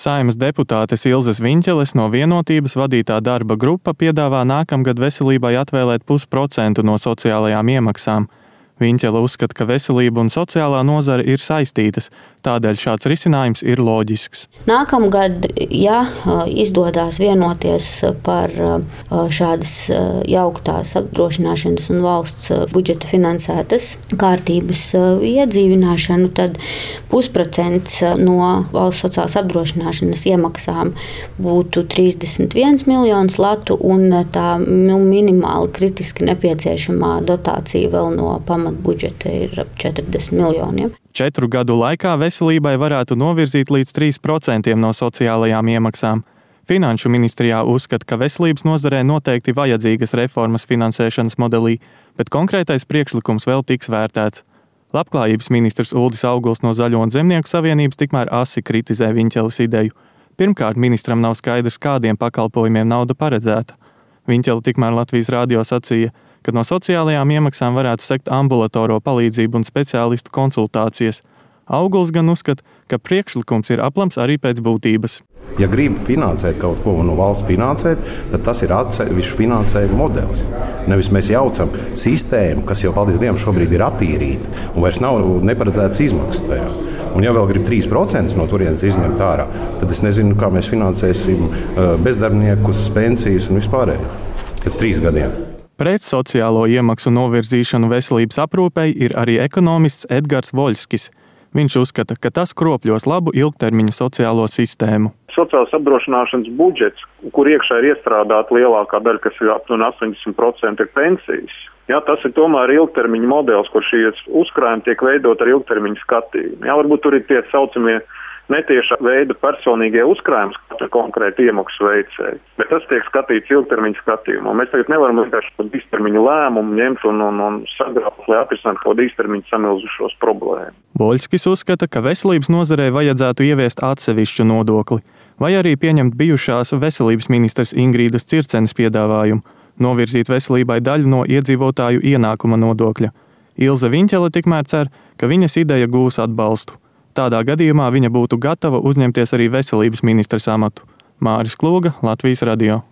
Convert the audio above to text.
Saeimas deputātes Ilzes Viņķeles no Vienotības vadītā darba grupa piedāvā nākamgad veselībai atvēlēt 0,5% no sociālajām iemaksām. Viņķele uzskata, ka veselība un sociālā nozare ir saistītas, tādēļ šāds risinājums ir loģisks. Nākamgad, ja izdodas vienoties par šādas jauktās apdrošināšanas un valsts budžeta finansētas kārtības iedzīvināšanu, tad 0,5% no valsts sociālās apdrošināšanas iemaksām būtu 31 miljonus latu un tā minimāli kritiski nepieciešamā dotācija vēl no pamatbudžeta ir ap 40 miljoniem. 4 gadu laikā veselībai varētu novirzīt līdz 3% no sociālajām iemaksām. Finanšu ministrijā uzskata, ka veselības nozarē noteikti vajadzīgas reformas finansēšanas modelī, bet konkrētais priekšlikums vēl tiks vērtēts. Labklājības ministrs Uldis Auguls no Zaļo un Zemnieku savienības tikmēr asi kritizē Viņķeles ideju. Pirmkārt, ministram nav skaidrs, kādiem pakalpojumiem nauda paredzēta. Viņķele tikmēr Latvijas radio sacīja, ka no sociālajām iemaksām varētu sekt ambulatoro palīdzību un speciālistu konsultācijas. Auguls gan uzskata, ka priekšlikums ir aplams arī pēc būtības. Ja grib finansēt kaut ko no valsts finansēt, tad tas ir atsevišķs finansējuma modelis. Nevis mēs jaucam sistēmu, kas jau, paldies Dievam, šobrīd ir attīrīta un vairs nav neparedzētas izmaksas tajā. Un ja vēl grib 3% no turienes izņemt ārā, tad es nezinu, kā mēs finansēsim bezdarbniekus, pensijas un vispārējo pēc 3 gadiem. Pret sociālo iemaksu novirzīšanu veselības aprūpei ir arī ekonomists Edgars Voļskis. Viņš uzskata, ka tas kropļos labu ilgtermiņa sociālo sistēmu. Sociālās apdrošināšanas budžets, kur iekšā ir iestrādāta lielākā daļa, kas ir aptuveni 80% ir pensijas. Jā, tas ir tomēr ilgtermiņa modelis, kur šīs uzkrājumi tiek veidot ar ilgtermiņa skatījumu. Jā, varbūt tur ir tie saucamie netieša veida personīgie uzkrājums katra konkrēta iemaksu veicēja, bet tas tiek skatīts ilgtermiņa skatījumā. Mēs tagad nevaram vienkārši par īstermiņa lēmumu ņemt un sagraut, lai atrisinātu kaut kādu īstermiņa samilzušos problēmu. Voļskis uzskata, ka veselības nozarei vajadzētu ieviest atsevišķu nodokli, vai arī pieņemt bijušās veselības ministres Ingrīdas Circenes piedāvājumu, novirzīt veselībai daļu no iedzīvotāju ienākuma nodokļa. Ilze Viņķele tikmēr cer, ka viņas ideja gūs atbalstu. Tādā gadījumā viņa būtu gatava uzņemties arī veselības ministres amatu. Māris Klūga, Latvijas radio.